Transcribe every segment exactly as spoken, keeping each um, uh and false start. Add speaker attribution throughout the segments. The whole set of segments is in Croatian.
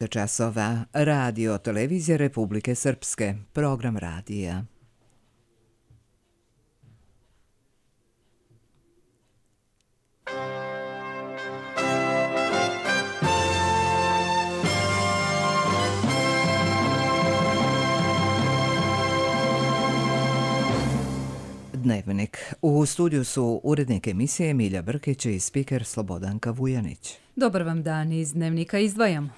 Speaker 1: časova. Radio Televizije Republike Srpske. Program radija. Dnevnik. U studiju su urednik emisije Milja Brkić i spiker Slobodanka Vujanić.
Speaker 2: Dobar vam dan, iz Dnevnika izdvajamo.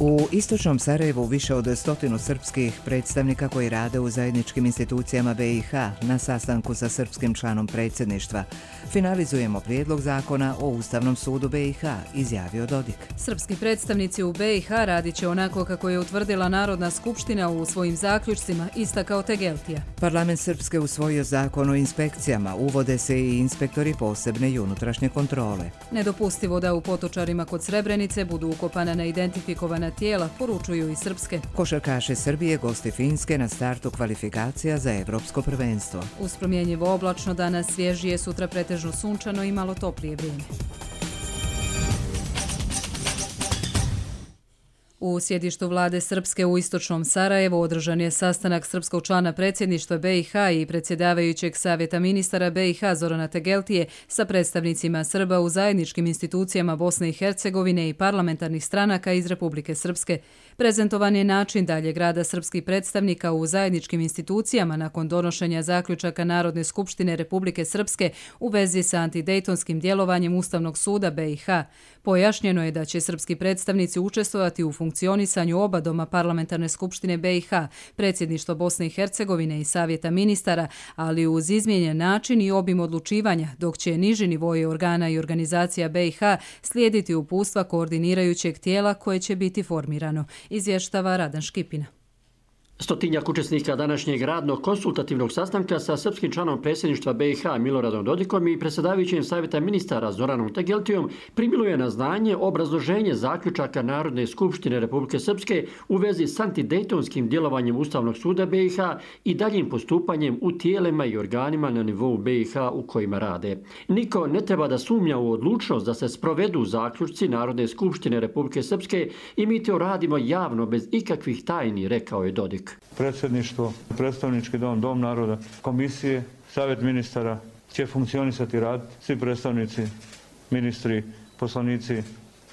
Speaker 1: U istočnom Sarajevu više od stotinu srpskih predstavnika koji rade u zajedničkim institucijama B i H na sastanku sa srpskim članom predsjedništva. Finalizujemo prijedlog zakona o Ustavnom sudu B i H, izjavio Dodik.
Speaker 2: Srpski predstavnici u B i H radit će onako kako je utvrdila Narodna skupština u svojim zaključcima, istakao Tegeltija.
Speaker 1: Parlament Srpske usvojio zakon o inspekcijama, uvode se i inspektori posebne i unutrašnje kontrole.
Speaker 2: Nedopustivo da u Potočarima kod Srebrenice budu ukopana neidentifikovana tijela, poručuju i srpske.
Speaker 1: Košarkaši Srbije gosti Finske na startu kvalifikacija za evropsko prvenstvo.
Speaker 2: Uz promjenjivo oblačno danas svježije, sutra pretežno sunčano i malo toplije vrijeme. U sjedištu vlade Srpske u istočnom Sarajevu održan je sastanak srpskog člana predsjedništva B i H i predsjedavajućeg savjeta ministara B i H Zorana Tegeltije sa predstavnicima Srba u zajedničkim institucijama Bosne i Hercegovine i parlamentarnih stranaka iz Republike Srpske. Prezentovan je način daljeg rada srpskih predstavnika u zajedničkim institucijama nakon donošenja zaključaka Narodne skupštine Republike Srpske u vezi sa antidejtonskim djelovanjem Ustavnog suda B i H. Pojašnjeno je da će srpski predstavnici učestvovati u funkcionisanju oba doma parlamentarne skupštine B i H, predsjedništva Bosne i Hercegovine i savjeta ministara, ali uz izmijenjen način i obim odlučivanja, dok će niži nivoji organa i organizacija B i H slijediti uputstva koordinirajućeg tijela koje će biti formirano, izvještava Radan Škipina.
Speaker 3: Stotinjak učesnika današnjeg radnog konsultativnog sastanka sa srpskim članom predsjedništva B i H Miloradom Dodikom i predsjedavajućim savjeta ministara Zoranom Tegeltijom primilo je na znanje obrazloženje zaključaka Narodne skupštine Republike Srpske u vezi s antidejtonskim djelovanjem Ustavnog suda B i H i daljim postupanjem u tijelima i organima na nivou B i H u kojima rade. Niko ne treba da sumnja u odlučnost da se sprovedu zaključci Narodne skupštine Republike Srpske i mi to radimo javno bez ikakvih tajni, rekao je Dodik.
Speaker 4: Predsjedništvo, predstavnički dom, dom naroda, komisije, savjet ministara će funkcionisati i raditi. Svi predstavnici, ministri, poslanici,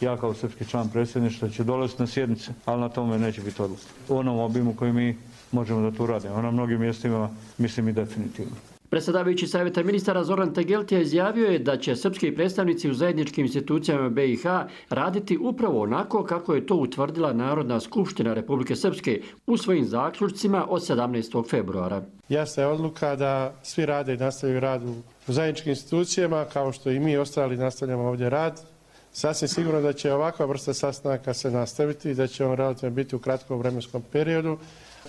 Speaker 4: ja kao srpski član predsjedništva će dolaziti na sjednice, ali na tome neće biti odluka. U onom obimu koji mi možemo da tu radimo. Na mnogim mjestima mislim i definitivno.
Speaker 3: Predsjedavajući savjeta ministara Zoran Tegeltija izjavio je da će srpski predstavnici u zajedničkim institucijama B i H raditi upravo onako kako je to utvrdila Narodna skupština Republike Srpske u svojim zaključcima od sedamnaestog februara.
Speaker 5: Jasna je odluka da svi rade i nastavljaju rad u zajedničkim institucijama, kao što i mi ostali nastavljamo ovdje rad. Sasvim sigurno da će ovakva vrsta sastanaka se nastaviti i da će on relativno biti u kratkom vremenskom periodu.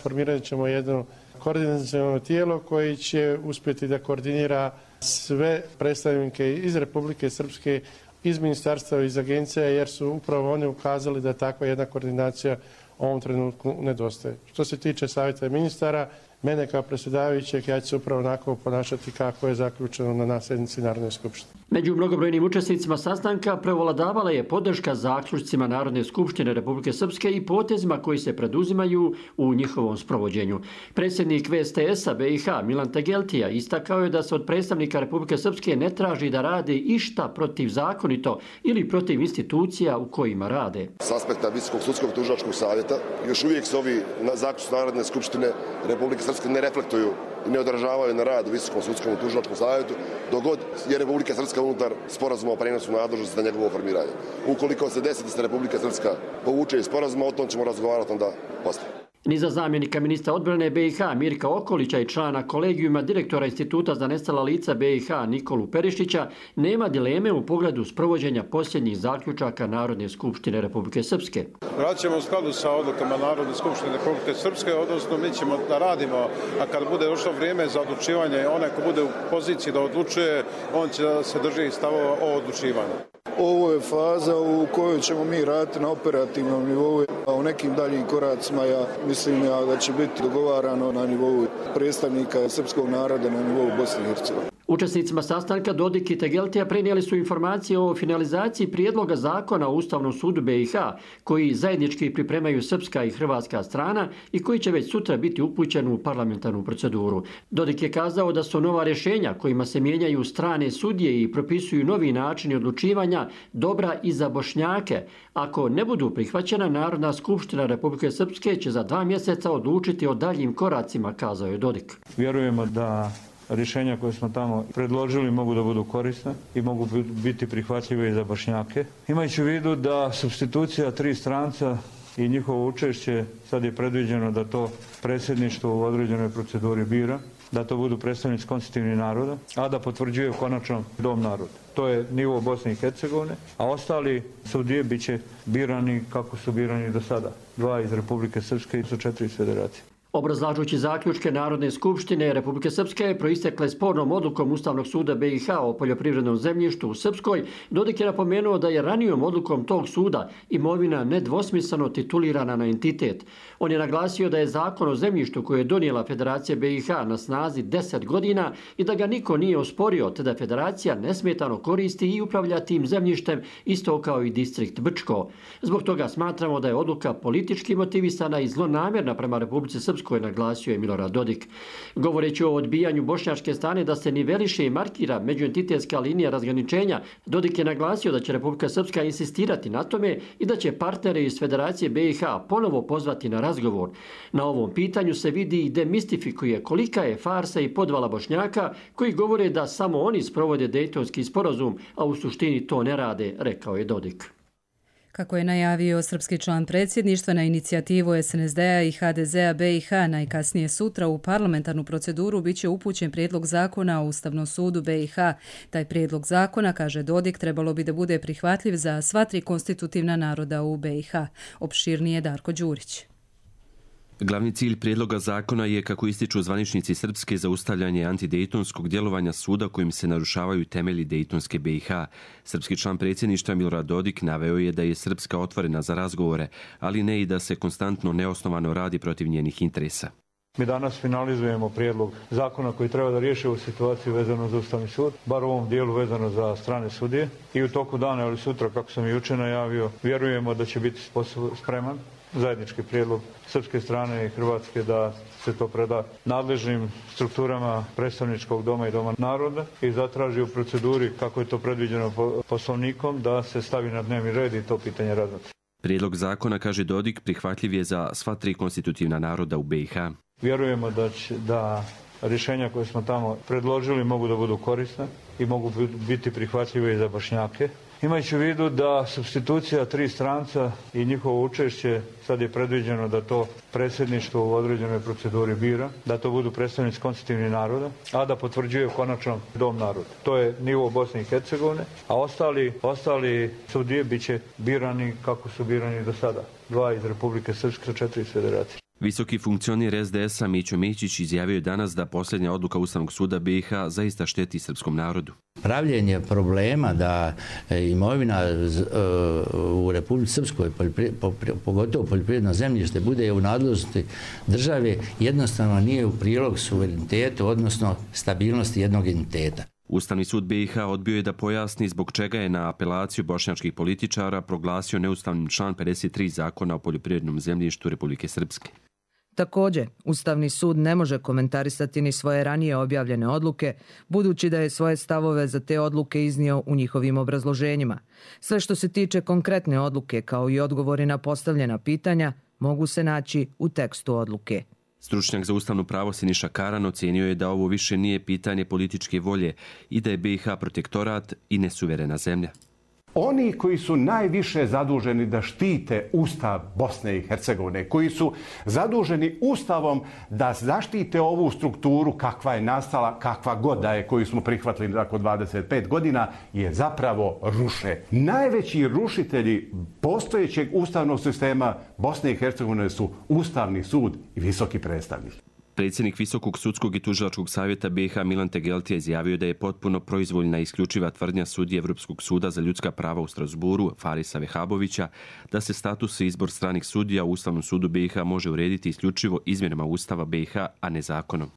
Speaker 5: Formirat ćemo jedno koordinaciono tijelo koji će uspjeti da koordinira sve predstavnike iz Republike Srpske, iz ministarstva i iz agencija, jer su upravo oni ukazali da takva jedna koordinacija u ovom trenutku nedostaje. Što se tiče savjeta ministara, mene kao predsjedavajućeg, ja ću se upravo onako ponašati kako je zaključeno na sjednici Narodne skupštine.
Speaker 3: Među mnogobrojnim učesnicima sastanka prevladavala je podrška zaključcima Narodne skupštine Republike Srpske i potezima koji se preduzimaju u njihovom sprovođenju. Predsjednik V S T S-a B i H Milan Tegeltija istakao je da se od predstavnika Republike Srpske ne traži da rade išta protivzakonito ili protiv institucija u kojima rade.
Speaker 6: S aspekta Visokog sudskog tužilačkog savjeta još uvijek se ovi zaključci Narodne skupštine Republike Srpske ne reflektuju i ne odražavaju na rad u Visokom sudskom tužilačkom savjetu, dok god je Republika Srpska unutar sporazuma o prenosu nadležnosti za njegovo formiranje. Ukoliko se desi da se Republika Srpska povuče iz sporazuma, o tom ćemo razgovarati onda poslije.
Speaker 3: Ni za zamjenika ministra odbrane B i H Mirka Okolića i člana kolegijuma direktora Instituta za nestala lica B i H Nikolu Perišića nema dileme u pogledu sprovođenja posljednjih zaključaka Narodne skupštine Republike Srpske.
Speaker 7: Radit ćemo u skladu sa odlukama Narodne skupštine Republike Srpske, odnosno mi ćemo da radimo, a kad bude došlo vrijeme za odlučivanje, onaj ko bude u poziciji da odlučuje, on će da se drži stavova o odlučivanju.
Speaker 8: Ovo je faza u kojoj ćemo mi raditi na operativnom nivou, a u nekim daljim koracima ja mislim ja da će biti dogovarano na nivou predstavnika srpskog naroda na nivou Bosne i Hercegovine.
Speaker 3: Učesnicima sastanka Dodik i Tegeltija prenijeli su informacije o finalizaciji prijedloga zakona o Ustavnom sudu B i H, koji zajednički pripremaju srpska i hrvatska strana i koji će već sutra biti upućen u parlamentarnu proceduru. Dodik je kazao da su nova rješenja kojima se mijenjaju strane sudije i propisuju novi načini odlučivanja dobra i za Bošnjake. Ako ne budu prihvaćena, Narodna skupština Republike Srpske će za dva mjeseca odlučiti o daljim koracima, kazao je Dodik.
Speaker 4: Vjerujemo da rješenja koje smo tamo predložili mogu da budu korisne i mogu biti prihvatljive i za Bošnjake. Imajući u vidu da supstitucija tri stranca i njihovo učešće, sad je predviđeno da to predsjedništvo u određenoj proceduri bira, da to budu predstavnici konstitutivnih naroda, a da potvrđuje konačno Dom naroda. To je nivo Bosne i Hercegovine, a ostali sudije bit će birani kako su birani do sada. Dva iz Republike Srpske i su četiri iz Federacije.
Speaker 3: Obrazlažući zaključke Narodne skupštine Republike Srpske proistekle spornom odlukom Ustavnog suda B i H o poljoprivrednom zemljištu u Srpskoj, Dodik je napomenuo da je ranijom odlukom tog suda imovina nedvosmisleno titulirana na entitet. On je naglasio da je zakon o zemljištu koji je donijela Federacija B i H na snazi deset godina i da ga niko nije osporio, te da Federacija nesmetano koristi i upravlja tim zemljištem isto kao i distrikt Brčko. Zbog toga smatramo da je odluka politički motivisana i zlonamjerna prema Republici Srpskoj, koje naglasio je Milorad Dodik. Govoreći o odbijanju bošnjačke strane da se niveliše i markira međuentitetska linija razgraničenja, Dodik je naglasio da će Republika Srpska insistirati na tome i da će partnere iz Federacije B i H ponovo pozvati na razgovor. Na ovom pitanju se vidi i demistifikuje kolika je farsa i podvala Bošnjaka koji govore da samo oni sprovode Dejtonski sporazum, a u suštini to ne rade, rekao je Dodik.
Speaker 2: Kako je najavio srpski član predsjedništva, na inicijativu S N S D-a i H D Z-a B i H najkasnije sutra u parlamentarnu proceduru biće upućen prijedlog zakona o Ustavnom sudu B i H. Taj prijedlog zakona, kaže Dodik, trebalo bi da bude prihvatljiv za sva tri konstitutivna naroda u B i H. Opširnije Darko Đurić.
Speaker 9: Glavni cilj prijedloga zakona je, kako ističu zvaničnici Srpske, zaustavljanje antidejtonskog djelovanja suda kojim se narušavaju temelji Dejtonske B i H. Srpski član predsjedništva Milorad Dodik naveo je da je Srpska otvorena za razgovore, ali ne i da se konstantno neosnovano radi protiv njenih interesa.
Speaker 4: Mi danas finalizujemo prijedlog zakona koji treba da riješi ovu situaciju vezano za Ustavni sud, bar u ovom dijelu vezano za strane sudije. I u toku dana ili sutra, kako sam i jučer najavio, vjerujemo da će biti spreman zajednički prijedlog srpske strane i hrvatske da se to preda nadležnim strukturama predstavničkog doma i doma naroda i zatraži u proceduri, kako je to predviđeno poslovnikom, da se stavi na dnevni red i to pitanje razmotri.
Speaker 9: Prijedlog zakona, kaže Dodik, prihvatljiv je za sva tri konstitutivna naroda u B i H.
Speaker 4: Vjerujemo da će, da rješenja koje smo tamo predložili mogu da budu korisne i mogu biti prihvatljive i za Bošnjake. Imajući u vidu da supstitucija tri stranca i njihovo učešće, sad je predviđeno da to predsjedništvo u određenoj proceduri bira, da to budu predstavnici konstitutivnih naroda, a da potvrđuje konačno Dom naroda. To je nivo Bosne i Hercegovine, a ostali, ostali sudije bit će birani kako su birani do sada. Dva iz Republike Srpske, četiri iz Federacije.
Speaker 9: Visoki funkcioner S D S-a Mićo Mićić izjavio je danas da posljednja odluka Ustavnog suda B i H zaista šteti srpskom narodu.
Speaker 10: Pravljenje problema da imovina u Republici Srpskoj, pogotovo poljoprivredno zemljište, bude u nadležnosti države, jednostavno nije u prilog suverenitetu, odnosno stabilnosti jednog entiteta.
Speaker 9: Ustavni sud B i H odbio je da pojasni zbog čega je na apelaciju bošnjačkih političara proglasio neustavnim član pedeset tri zakona o poljoprivrednom zemljištu Republike Srpske.
Speaker 1: Također, Ustavni sud ne može komentarisati ni svoje ranije objavljene odluke, budući da je svoje stavove za te odluke iznio u njihovim obrazloženjima. Sve što se tiče konkretne odluke, kao i odgovori na postavljena pitanja, mogu se naći u tekstu odluke.
Speaker 9: Stručnjak za ustavno pravo Siniša Karan ocijenio je da ovo više nije pitanje političke volje i da je B i H protektorat i nesuverena zemlja.
Speaker 11: Oni koji su najviše zaduženi da štite Ustav Bosne i Hercegovine, koji su zaduženi Ustavom da zaštite ovu strukturu kakva je nastala, kakva god da je, koju smo prihvatili nakon dvadeset pet godina, je zapravo ruše. Najveći rušitelji postojećeg ustavnog sistema Bosne i Hercegovine su Ustavni sud i visoki predstavnik.
Speaker 9: Predsjednik Visokog sudskog i tužilačkog savjeta B i H Milan Tegeltija izjavio da je potpuno proizvoljna i isključiva tvrdnja sudije Evropskog suda za ljudska prava u Strasburu, Farisa Vehabovića, da se status i izbor stranih sudija u Ustavnom sudu B i H može urediti isključivo izmjenama Ustava B i H, a ne zakonom.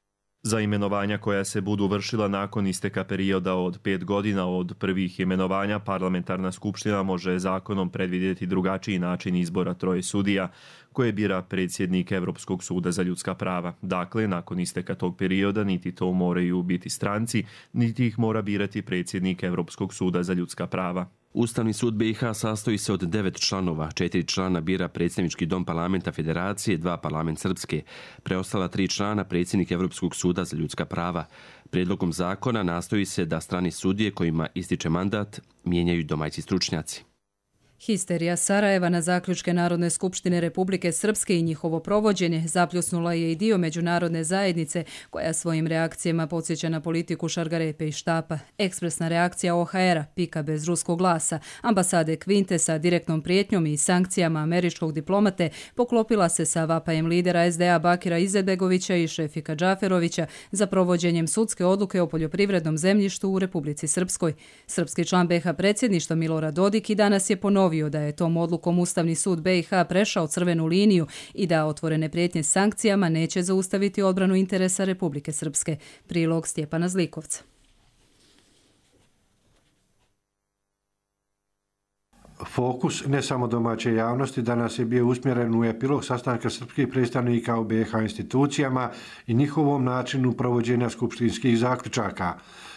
Speaker 12: Za imenovanja koja se budu vršila nakon isteka perioda od pet godina od prvih imenovanja, parlamentarna skupština može zakonom predvidjeti drugačiji način izbora troje sudija koje bira predsjednik Evropskog suda za ljudska prava. Dakle, nakon isteka tog perioda niti to moraju biti stranci, niti ih mora birati predsjednik Evropskog suda za ljudska prava.
Speaker 9: Ustavni sud B i H sastoji se od devet članova, četiri člana bira predsjednički dom parlamenta Federacije, dva parlament Srpske, preostala tri člana predsjednik Evropskog suda za ljudska prava. Prijedlogom zakona nastoji se da strani sudije kojima ističe mandat mijenjaju domaći stručnjaci.
Speaker 2: Histerija Sarajeva na zaključke Narodne skupštine Republike Srpske i njihovo provođenje zapljusnula je i dio međunarodne zajednice koja svojim reakcijama podsjeća na politiku Šargarepe i Štapa. Ekspresna reakcija O H R-a, pika bez ruskog glasa, ambasade Kvinte sa direktnom prijetnjom i sankcijama američkog diplomate poklopila se sa vapajem lidera S D A Bakira Izetbegovića i Šefika Džaferovića za provođenjem sudske odluke o poljoprivrednom zemljištu u Republici Srpskoj. Srpski član B i H predsjedništva Milorad Dodik i danas je ponovio da je tom odlukom Ustavni sud B i H prešao crvenu liniju i da otvorene prijetnje sankcijama neće zaustaviti odbranu interesa Republike Srpske. Prilog Stjepana Zlikovca.
Speaker 13: Fokus ne samo domaće javnosti danas je bio usmjeren u epilog sastanka srpskih predstavnika u B i H institucijama i njihovom načinu provođenja skupštinskih zaključaka.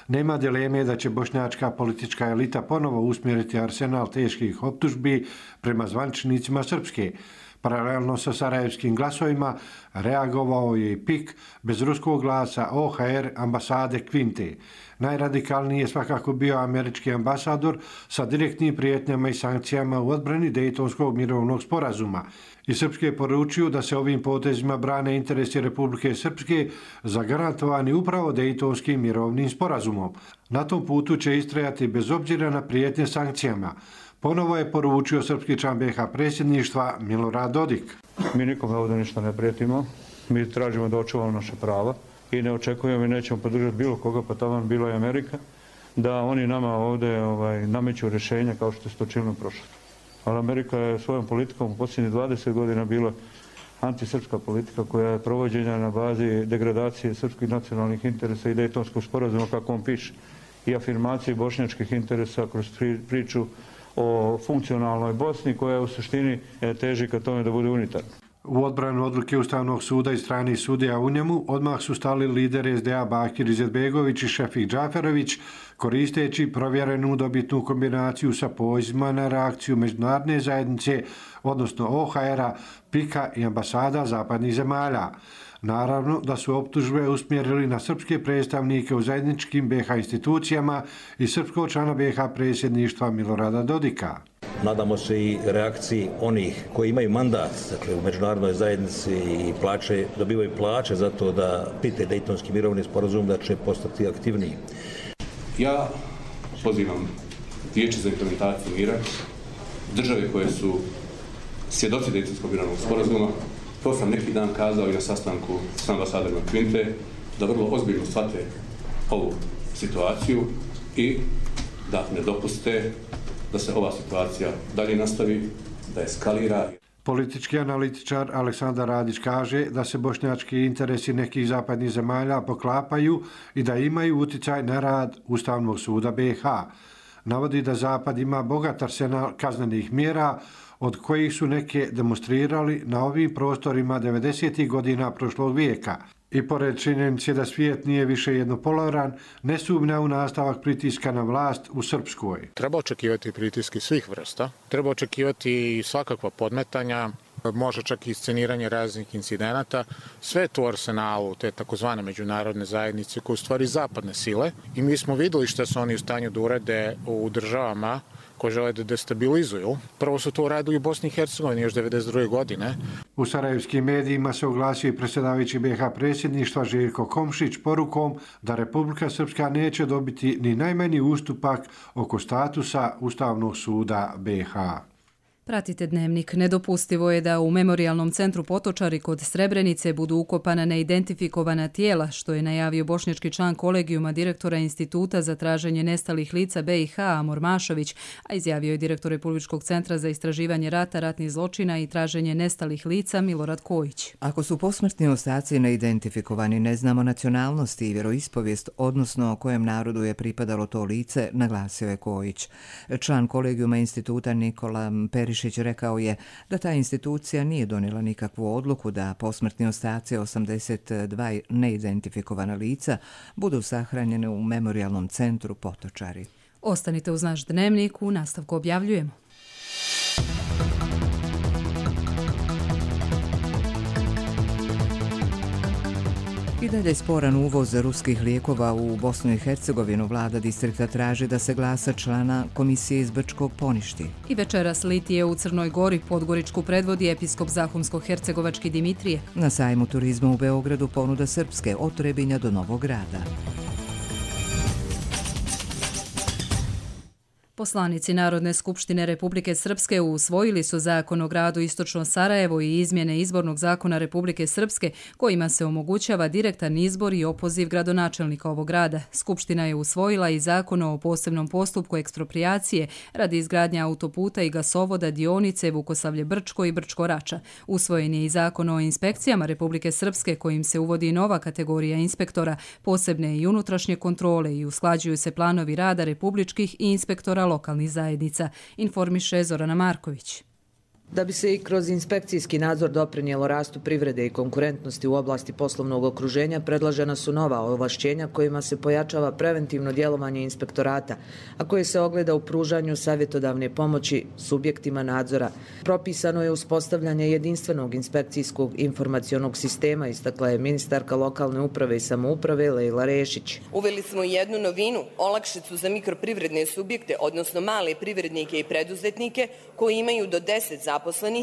Speaker 13: Nema dileme da će bošnjačka politička elita ponovo usmjeriti arsenal teških optužbi prema zvaničnicima Srpske. Paralelno sa sarajevskim glasovima reagovao je i P I K bez ruskog glasa O H R ambasade Kvinte. Najradikalniji je svakako bio američki ambasador sa direktnim prijetnjama i sankcijama u odbrani Dejtonskog mirovnog sporazuma. I Srpske poručuju da se ovim potezima brane interesi Republike Srpske zagarantovani upravo Dejtonskim mirovnim sporazumom. Na tom putu će istrajati bez obzira na prijetnje sankcijama. Ponovo je poručio srpski član B i H predsjedništva Milorad Dodik.
Speaker 4: Mi nikome ovdje ništa ne prijetimo, mi tražimo da očuvamo naše prava i ne očekujemo i nećemo podržati bilo koga, pa tamo bila je Amerika, da oni nama ovdje ovaj, nameću rješenja kao što se to činilo u prošlosti. Ali Amerika je svojom politikom u posljednjih dvadeset godina bila antisrpska politika koja je provođena na bazi degradacije srpskih nacionalnih interesa i Dejtonskog sporazuma, kako on piše, i afirmacije bošnjačkih interesa kroz priču o funkcionalnoj Bosni koja u suštini teži ka tome da bude unitarna.
Speaker 13: U odbranu odluke Ustavnog suda i stranih sudija u njemu odmah su stali lideri S D A Bakir Izetbegović i Šefik Džaferović, koristeći provjerenu dobitnu kombinaciju sa pozivima na reakciju međunarodne zajednice, odnosno O H R-a, P I K-a i ambasada zapadnih zemalja. Naravno da su optužbe usmjerili na srpske predstavnike u zajedničkim B i H institucijama i srpskog člana B i H predsjedništva Milorada Dodika.
Speaker 14: Nadamo se i reakciji onih koji imaju mandat, dakle u međunarodnoj zajednici i plaće, dobivaju plaće za to da pite Dejtonski mirovni sporazum, da će postati aktivniji.
Speaker 15: Ja pozivam Vijeće za implementaciju mira, države koje su svjedoci Dejtonskog mirovnog sporazuma. To sam neki dan kazao i na sastanku s ambasadorima Kvinte, da vrlo ozbiljno shvate ovu situaciju i da ne dopuste da se ova situacija dalje nastavi, da eskalira.
Speaker 13: Politički analitičar Aleksandar Radić kaže da se bošnjački interesi nekih zapadnih zemalja poklapaju i da imaju uticaj na rad Ustavnog suda B i H. Navodi da Zapad ima bogat arsenal kaznenih mjera, od kojih su neke demonstrirali na ovim prostorima devedesetih godina prošlog vijeka. I pored činjenice da svijet nije više jednopolaran, ne sumnja u nastavak pritiska na vlast u Srpskoj.
Speaker 16: Treba očekivati pritiski svih vrsta, treba očekivati i svakakva podmetanja, može čak i sceniranje raznih incidenata. Sve to u arsenalu te takozvane međunarodne zajednice koje u stvari zapadne sile. I mi smo videli što su oni u stanju da urade u državama koje žele da destabilizuju. Prvo su to uradili u Bosni i Hercegovini još devedeset druge godine.
Speaker 13: U sarajevskim medijima se oglasio i predsjedavajući B i H predsjedništva Željko Komšić porukom da Republika Srpska neće dobiti ni najmanji ustupak oko statusa Ustavnog suda B i H.
Speaker 2: Pratite Dnevnik. Nedopustivo je da u Memorijalnom centru Potočari kod Srebrenice budu ukopana neidentifikovana tijela, što je najavio bošnjački član kolegijuma direktora Instituta za traženje nestalih lica B i H Amor Mašović, a izjavio je direktor Republičkog centra za istraživanje rata, ratnih zločina i traženje nestalih lica Milorad Kojić.
Speaker 1: Ako su posmrtni ostaci neidentifikovani, ne znamo nacionalnosti i vjeroispovijest, odnosno kojem narodu je pripadalo to lice, naglasio je Kojić. Član kolegijuma Instituta Nikola Perišić rekao je da ta institucija nije donijela nikakvu odluku da posmrtni ostaci osamdeset dva neidentifikovana lica budu sahranjene u Memorijalnom centru Potočari.
Speaker 2: Ostanite uz naš Dnevnik, u nastavku objavljujemo.
Speaker 1: I dalje sporan uvoz ruskih lijekova u Bosnu i Hercegovinu. Vlada distrikta traži da se glasa člana komisije iz Brčkog poništi.
Speaker 2: I večeras litije u Crnoj Gori. Podgoričku predvodi episkop Zahumsko-hercegovački Dimitrije.
Speaker 1: Na sajmu turizma u Beogradu ponuda srpske od Trebinja do Novog Grada.
Speaker 2: Poslanici Narodne skupštine Republike Srpske usvojili su zakon o gradu Istočno Sarajevo i izmjene izbornog zakona Republike Srpske kojima se omogućava direktan izbor i opoziv gradonačelnika ovog grada. Skupština je usvojila i zakon o posebnom postupku eksproprijacije radi izgradnje autoputa i gasovoda dionice Vukosavlje-Brčko i Brčko-Rača. Usvojen je i zakon o inspekcijama Republike Srpske kojim se uvodi nova kategorija inspektora, posebne i unutrašnje kontrole i usklađuju se planovi rada republičkih i inspektora lokalnih zajednica, informiše Zorana Marković.
Speaker 17: Da bi se i kroz inspekcijski nadzor doprinijelo rastu privrede i konkurentnosti u oblasti poslovnog okruženja, predložena su nova ovlašćenja kojima se pojačava preventivno djelovanje inspektorata, a koje se ogleda u pružanju savjetodavne pomoći subjektima nadzora. Propisano je uspostavljanje jedinstvenog inspekcijskog informacionog sistema, istakla je ministarka lokalne uprave i samouprave Lejla Rešić.
Speaker 18: Uveli smo jednu novinu, olakšicu za mikroprivredne subjekte, odnosno male privrednike i preduzetnike koji imaju do deset zaposlenih,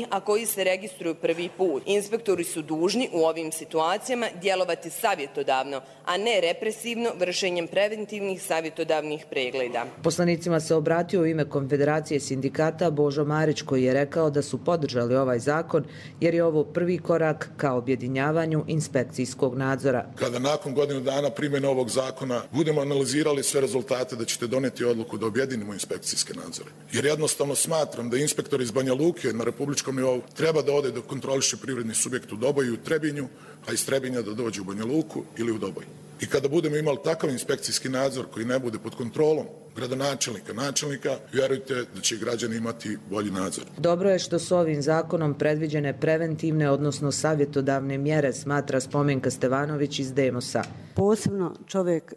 Speaker 18: a koji se registruju prvi put. Inspektori su dužni u ovim situacijama djelovati savjetodavno, a ne represivno vršenjem preventivnih savjetodavnih pregleda.
Speaker 17: Poslanicima se obratio u ime Konfederacije sindikata Božo Marić, koji je rekao da su podržali ovaj zakon jer je ovo prvi korak ka objedinjavanju inspekcijskog nadzora.
Speaker 19: Kada nakon godinu dana primjene ovog zakona budemo analizirali sve rezultate, da ćete doneti odluku da objedinimo inspekcijske nadzore. Jer jednostavno smatram da inspektor iz Banja Luke na republičkom nivou treba da ode da kontroliše privredni subjekt u Doboju i u Trebinju, a iz Trebinja da dođe u Banja Luku ili u Doboj. I kada budemo imali takav inspekcijski nadzor koji ne bude pod kontrolom gradonačelnika, načelnika, vjerujte da će građani imati bolji nadzor.
Speaker 17: Dobro je što su ovim zakonom predviđene preventivne, odnosno savjetodavne mjere, smatra Spomenka Stevanović iz Demosa.
Speaker 20: Posebno čovjek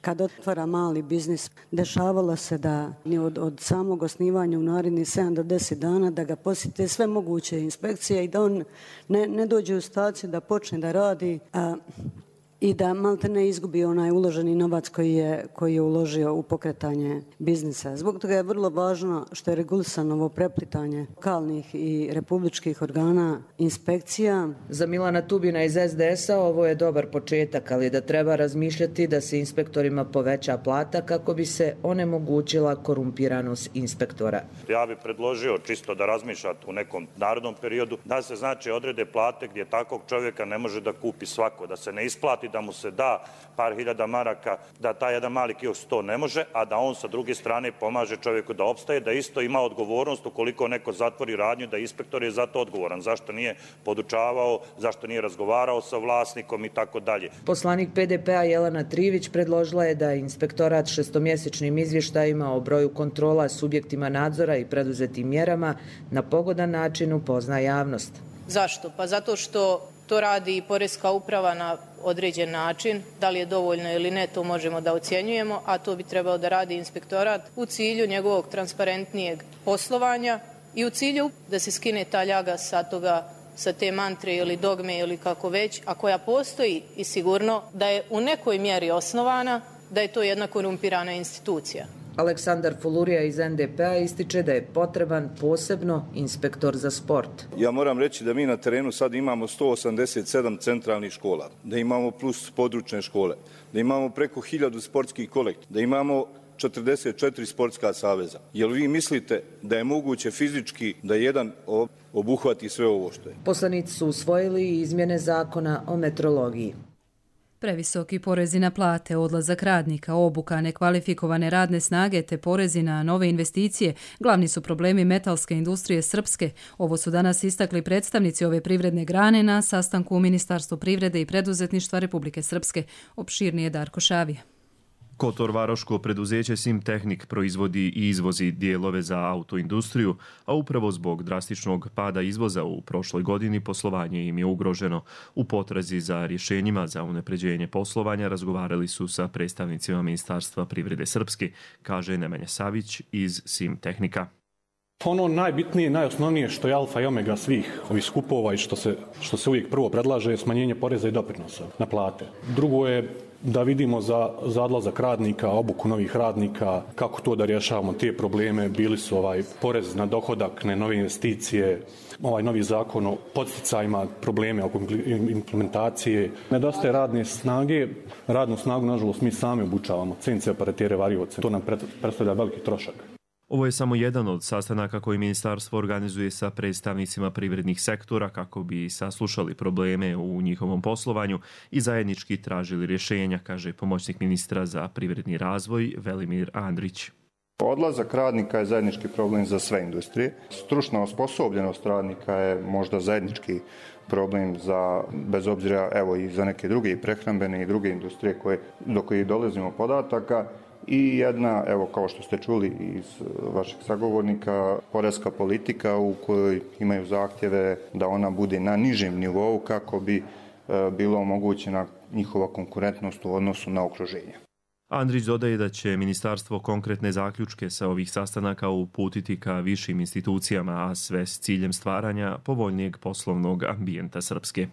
Speaker 20: kad otvara mali biznis, dešavalo se da od, od samog osnivanja u narednih sedam do deset dana da ga posjete sve moguće inspekcije i da on ne, ne dođe u staciju da počne da radi a, i da malte ne izgubi onaj uloženi novac koji je, koji je uložio u pokretanje biznisa. Zbog toga je vrlo važno što je regulisano ovo preplitanje lokalnih i republičkih organa inspekcija.
Speaker 17: Za Milana Tubina iz es de es a ovo je dobar početak, ali da treba razmišljati da se inspektorima poveća plata kako bi se onemogućila korumpiranost inspektora.
Speaker 21: Ja bih predložio čisto da razmišljate u nekom narodnom periodu da se znači odrede plate gdje takvog čovjeka ne može da kupi svako, da se ne isplati da mu se da par hiljada maraka, da taj jedan mali kiosk to ne može, a da on sa druge strane pomaže čovjeku da opstaje, da isto ima odgovornost ukoliko neko zatvori radnju, da inspektor je za to odgovoran. Zašto nije podučavao, zašto nije razgovarao sa vlasnikom i tako dalje.
Speaker 17: Poslanik pe de pe a Jelena Trivić predložila je da inspektorat šestomjesečnim izvještajima o broju kontrola subjektima nadzora i preduzetim mjerama na pogodan način upozna javnost.
Speaker 22: Zašto? Pa zato što to radi i Poreska uprava na određen način. Da li je dovoljno ili ne, to možemo da ocjenjujemo, a to bi trebao da radi inspektorat u cilju njegovog transparentnijeg poslovanja i u cilju da se skine ta ljaga sa toga, sa te mantre ili dogme ili kako već, a koja postoji i sigurno da je u nekoj mjeri osnovana, da je to jedna korumpirana institucija.
Speaker 17: Aleksandar Fulurija iz en de pe a ističe da je potreban posebno inspektor za sport.
Speaker 23: Ja moram reći da mi na terenu sad imamo sto osamdeset sedam centralnih škola, da imamo plus područne škole, da imamo preko hiljadu sportskih kolektiva, da imamo četrdeset četiri sportska saveza. Jel vi mislite da je moguće fizički da jedan obuhvati sve ovo što je?
Speaker 17: Poslanici su usvojili i izmjene zakona o metrologiji.
Speaker 2: Previsoki porezi na plate, odlazak radnika, obuka, nekvalifikovane radne snage te porezi na nove investicije glavni su problemi metalske industrije srpske. Ovo su danas istakli predstavnici ove privredne grane na sastanku u Ministarstvu privrede i preduzetništva Republike Srpske. Opširnije Darko Šavija.
Speaker 12: Kotor-varoško preduzeće Simtehnik proizvodi i izvozi dijelove za autoindustriju, a upravo zbog drastičnog pada izvoza u prošloj godini poslovanje im je ugroženo. U potrazi za rješenjima za unapređenje poslovanja razgovarali su sa predstavnicima Ministarstva privrede Srpske, kaže Nemanja Savić iz Simtehnika.
Speaker 5: Ono najbitnije, najosnovnije što je alfa i omega svih ovih skupova i što se, što se uvijek prvo predlaže je smanjenje poreza i doprinosa na plate. Drugo je da vidimo za, za odlazak radnika, obuku novih radnika, kako to da rješavamo te probleme. Bili su ovaj porez na dohodak, ne nove investicije, ovaj novi zakon o podsticajima, probleme oko implementacije. Nedostaje radne snage, radnu snagu nažalost mi sami obučavamo, C N C operatere, varioce. To nam predstavlja veliki trošak.
Speaker 12: Ovo je samo jedan od sastanaka koji ministarstvo organizuje sa predstavnicima privrednih sektora kako bi saslušali probleme u njihovom poslovanju i zajednički tražili rješenja, kaže pomoćnik ministra za privredni razvoj Velimir Andrić.
Speaker 6: Odlazak radnika je zajednički problem za sve industrije. Stručna osposobljenost radnika je možda zajednički problem za, bez obzira evo i za neke druge i prehrambene i druge industrije koje, do kojih dolazimo podataka. I jedna, evo kao što ste čuli iz vašeg sagovornika, poreska politika u kojoj imaju zahtjeve da ona bude na nižem nivou kako bi e, bilo omogućena njihova konkurentnost u odnosu na okruženje.
Speaker 12: Andrić dodaje da će ministarstvo konkretne zaključke sa ovih sastanaka uputiti ka višim institucijama, a sve s ciljem stvaranja povoljnijeg poslovnog ambijenta Srpske.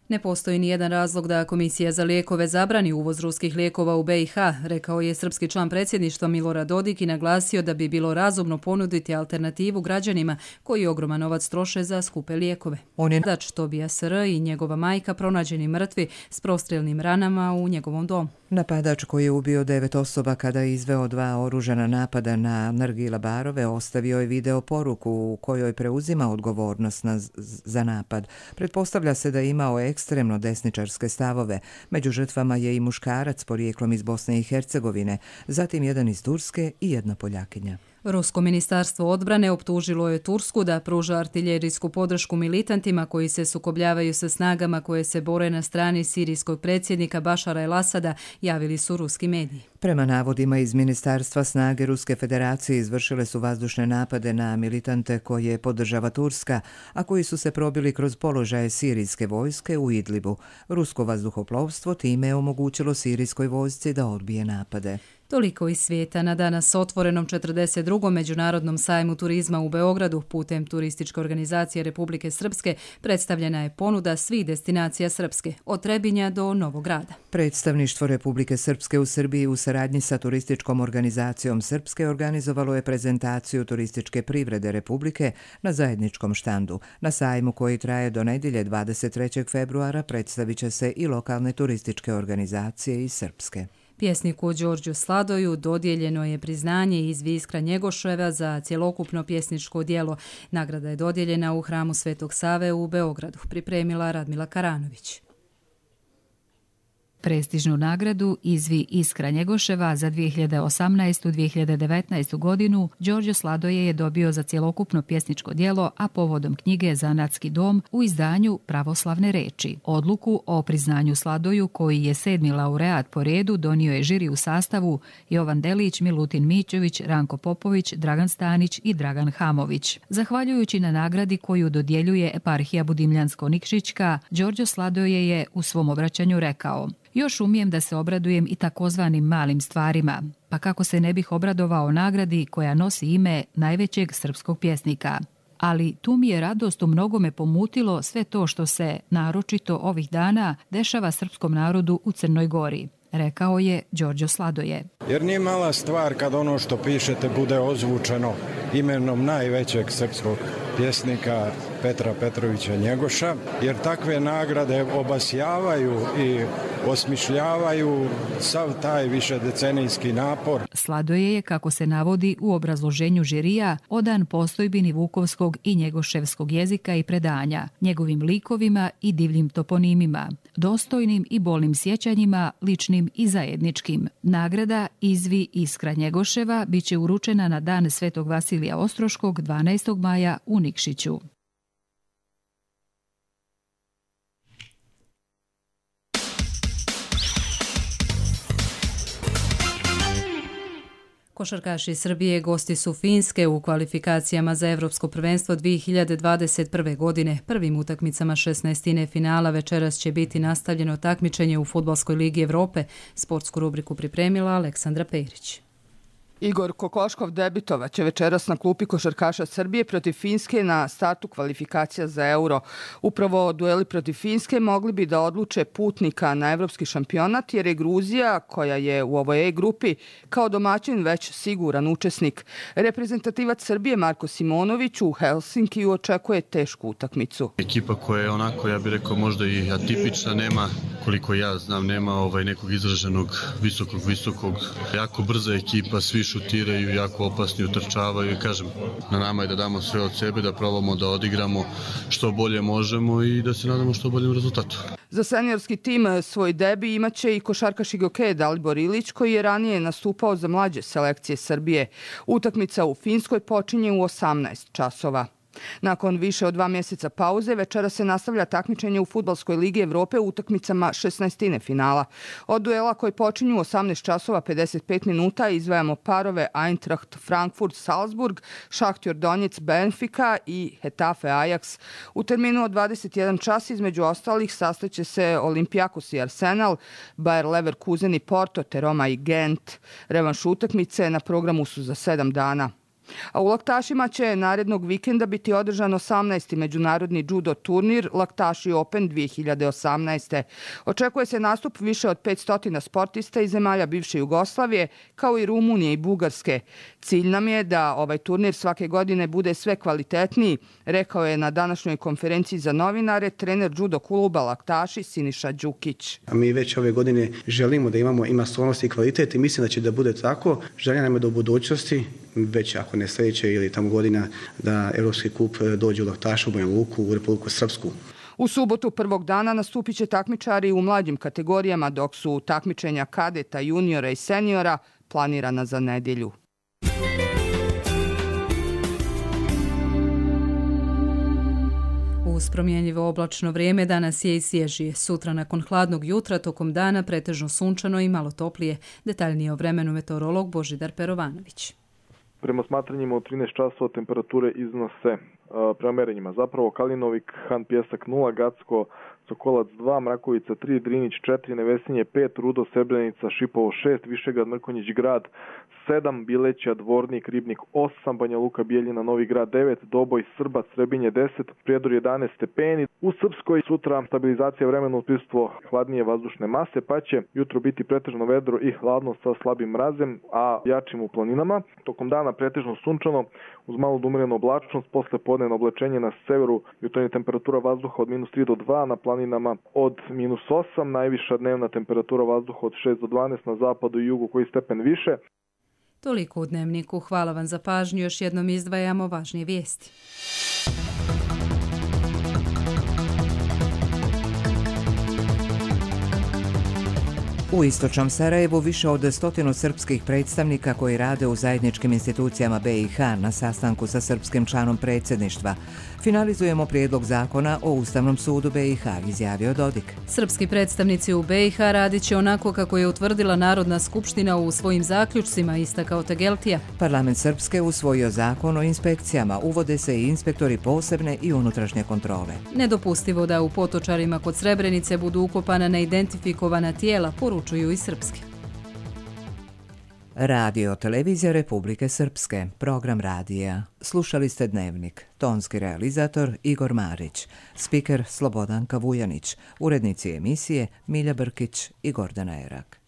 Speaker 2: Ne postoji ni jedan razlog da Komisija za lijekove zabrani uvoz ruskih lijekova u B i H, rekao je srpski član predsjedništva Milorad Dodik i naglasio da bi bilo razumno ponuditi alternativu građanima koji ogroman novac troše za skupe lijekove. On je dač Tobija S R i njegova majka pronađeni mrtvi s prostrijelnim ranama u njegovom domu.
Speaker 1: Napadač koji je ubio devet osoba kada je izveo dva oružana napada na Nargila barove ostavio je video poruku u kojoj preuzima odgovornost na, za napad. Pretpostavlja se da je imao ekstremno desničarske stavove. Među žrtvama je i muškarac porijeklom iz Bosne i Hercegovine, zatim jedan iz Turske i jedna Poljakinja.
Speaker 2: Rusko ministarstvo odbrane optužilo je Tursku da pruža artiljerijsku podršku militantima koji se sukobljavaju sa snagama koje se bore na strani sirijskog predsjednika Bašara el-Asada, javili su ruski mediji.
Speaker 1: Prema navodima iz ministarstva, snage Ruske federacije izvršile su vazdušne napade na militante koje podržava Turska, a koji su se probili kroz položaje sirijske vojske u Idlibu. Rusko vazduhoplovstvo time je omogućilo sirijskoj vojsci da odbije napade.
Speaker 2: Toliko iz svijeta. Na danas otvorenom četrdeset drugom međunarodnom sajmu turizma u Beogradu putem Turističke organizacije Republike Srpske predstavljena je ponuda svih destinacija Srpske, od Trebinja do Novog Grada.
Speaker 1: Predstavništvo Republike Srpske u Srbiji u saradnji sa Turističkom organizacijom Srpske organizovalo je prezentaciju turističke privrede Republike na zajedničkom štandu. Na sajmu koji traje do nedjelje dvadeset trećeg februara predstavit će se i lokalne turističke organizacije iz Srpske.
Speaker 2: Pjesniku Đorđu Sladoju dodijeljeno je priznanje iz Viskra Njegoševa za cjelokupno pjesničko djelo. Nagrada je dodijeljena u hramu Svetog Save u Beogradu, pripremila Radmila Karanović.
Speaker 7: Prestižnu nagradu Izvi Iskra Njegoševa za dvije hiljade osamnaestu do dvije hiljade devetnaestu. godinu Đorđe Sladoje je dobio za cjelokupno pjesničko djelo, a povodom knjige Zanatski dom u izdanju Pravoslavne reči. Odluku o priznanju Sladoju, koji je sedmi laureat po redu, donio je žiri u sastavu Jovan Delić, Milutin Mićević, Ranko Popović, Dragan Stanić i Dragan Hamović. Zahvaljujući na nagradi koju dodjeljuje eparhija Budimljansko-Nikšićka, Đorđe Sladoje je u svom obraćanju rekao: "Još umijem da se obradujem i takozvanim malim stvarima, pa kako se ne bih obradovao nagradi koja nosi ime najvećeg srpskog pjesnika. Ali tu mi je radost u mnogome pomutilo sve to što se, naročito ovih dana, dešava srpskom narodu u Crnoj Gori", rekao je Đorđe Sladoje.
Speaker 24: Jer nije mala stvar kad ono što pišete bude ozvučeno imenom najvećeg srpskog
Speaker 3: pjesnika Petra Petrovića Njegoša, jer takve nagrade obasjavaju i osmišljavaju sav taj višedecenijski napor.
Speaker 7: Sladoje je, kako se navodi u obrazloženju žirija, odan postojbini vukovskog i njegoševskog jezika i predanja, njegovim likovima i divljim toponimima, dostojnim i bolnim sjećanjima, ličnim i zajedničkim. Nagrada Izvi Iskra Njegoševa biće uručena na dan Svetog Vasilija Ostroškog dvanaestog maja u Nikšiću.
Speaker 2: Košarkaši Srbije gosti su Finske u kvalifikacijama za Evropsko prvenstvo dvije hiljade dvadeset prve. godine. Prvim utakmicama šesnaestine finala večeras će biti nastavljeno takmičenje u Fudbalskoj ligi Evrope. Sportsku rubriku pripremila Aleksandra Perić.
Speaker 8: Igor Kokoškov debitovat će večeras na klupi košarkaša Srbije protiv Finske na startu kvalifikacija za Euro. Upravo dueli protiv Finske mogli bi da odluče putnika na evropski šampionat, jer je Gruzija, koja je u ovoj E grupi, kao domaćin već siguran učesnik. Reprezentativac Srbije Marko Simonović u Helsinkiju očekuje tešku utakmicu.
Speaker 10: Ekipa koja je onako, ja bih rekao, možda i atipična, nema, koliko ja znam, nema ovaj nekog izraženog visokog, visokog, jako brza ekipa, svi šutiraju, jako opasni, utrčavaju i kažem, na nama je da damo sve od sebe, da probamo da odigramo što bolje možemo i da se nadamo što boljem rezultatu.
Speaker 8: Za seniorski tim svoj debi imaće i košarkaš Igoke Dalibor Ilić, koji je ranije nastupao za mlađe selekcije Srbije. Utakmica u Finskoj počinje u osamnaest časova. Nakon više od dva mjeseca pauze, večera se nastavlja takmičenje u Fudbalskoj ligi Evrope u utakmicama šesnaestine finala. Od duela koji počinju u osamnaest časova pedeset pet minuta izdvajamo parove Eintracht Frankfurt Salzburg, Šahtjor Donjec Benfica i Hetafe Ajax. U terminu od dvadeset jedan čas između ostalih sastaće se Olympiakos i Arsenal, Bayer Leverkusen i Porto, te Roma i Gent. Revanš utakmice na programu su za sedam dana. A u Laktašima će narednog vikenda biti održan osamnaesti međunarodni judo turnir Laktaši Open dvije hiljade osamnaeste. Očekuje se nastup više od petsto sportista iz zemalja bivše Jugoslavije, kao i Rumunije i Bugarske. Cilj nam je da ovaj turnir svake godine bude sve kvalitetniji, rekao je na današnjoj konferenciji za novinare trener judo kluba Laktaši Siniša Đukić.
Speaker 24: A mi već ove godine želimo da imamo i masovnost i kvalitet i mislim da će da bude tako. Želja nam je da u budućnosti, već ako ne sljedeće ili tamo godina, da Evropski kup dođe u Laktašu, u Banja Luku, u Republiku Srpsku.
Speaker 8: U subotu prvog dana nastupit će takmičari u mlađim kategorijama, dok su takmičenja kadeta, juniora i seniora planirana za nedjelju.
Speaker 2: Uz promjenjivo oblačno vrijeme danas je i svježije. Sutra nakon hladnog jutra tokom dana pretežno sunčano i malo toplije. Detaljnije o vremenu meteorolog Božidar Perovanović.
Speaker 25: Prema smatranjima od trinaest časova temperature iznose uh, prema merenjima. Zapravo Kalinovik, Han Pjesak nula, Gacko, Sokolac dva, Mrakovica tri, Drinić četiri, Nevesinje pet, Rudo, Srebrenica, Šipovo šest, Višegrad, Mrkonjić grad sedam, Bileća, Dvornik, Ribnik osam, Banja Luka, Bijeljina, Novi grad devet, Doboj, Srbac, Srebinje deset, Prijedor jedanaest stepeni. U Srpskoj sutra stabilizacija vremena uz prisustvo hladnije vazdušne mase, pa će jutro biti pretežno vedro i hladno sa slabim mrazem, a jačim u planinama. Tokom dana pretežno sunčano uz malo do umjerenu oblačnost, posle podnevno oblačenje na severu, jutarnja temperatura vazduha od minus tri do dva, na planinama od minus osam, najviša dnevna temperatura vazduha od šest do dvanaest, na zapadu i jugu koji stepen više.
Speaker 2: Toliko u Dnevniku. Hvala vam za pažnju. Još jednom izdvajamo važnije vijesti.
Speaker 1: U istočnom Sarajevu više od stotinu srpskih predstavnika koji rade u zajedničkim institucijama B i H na sastanku sa srpskim članom predsjedništva. Finalizujemo prijedlog zakona o Ustavnom sudu B i H, izjavio Dodik.
Speaker 2: Srpski predstavnici u B i H radit će onako kako je utvrdila Narodna skupština u svojim zaključcima, istakao Tegeltija.
Speaker 1: Parlament Srpske usvojio zakon o inspekcijama, uvode se i inspektori posebne i unutrašnje kontrole.
Speaker 2: Nedopustivo da u Potočarima kod Srebrenice budu ukopana neidentifikovana tijela, poručuju i srpski.
Speaker 1: Radio Televizija Republike Srpske, program radija. Slušali ste Dnevnik, tonski realizator Igor Marić, spiker Slobodanka Vujanić, urednici emisije Milja Brkić i Gordana Erak.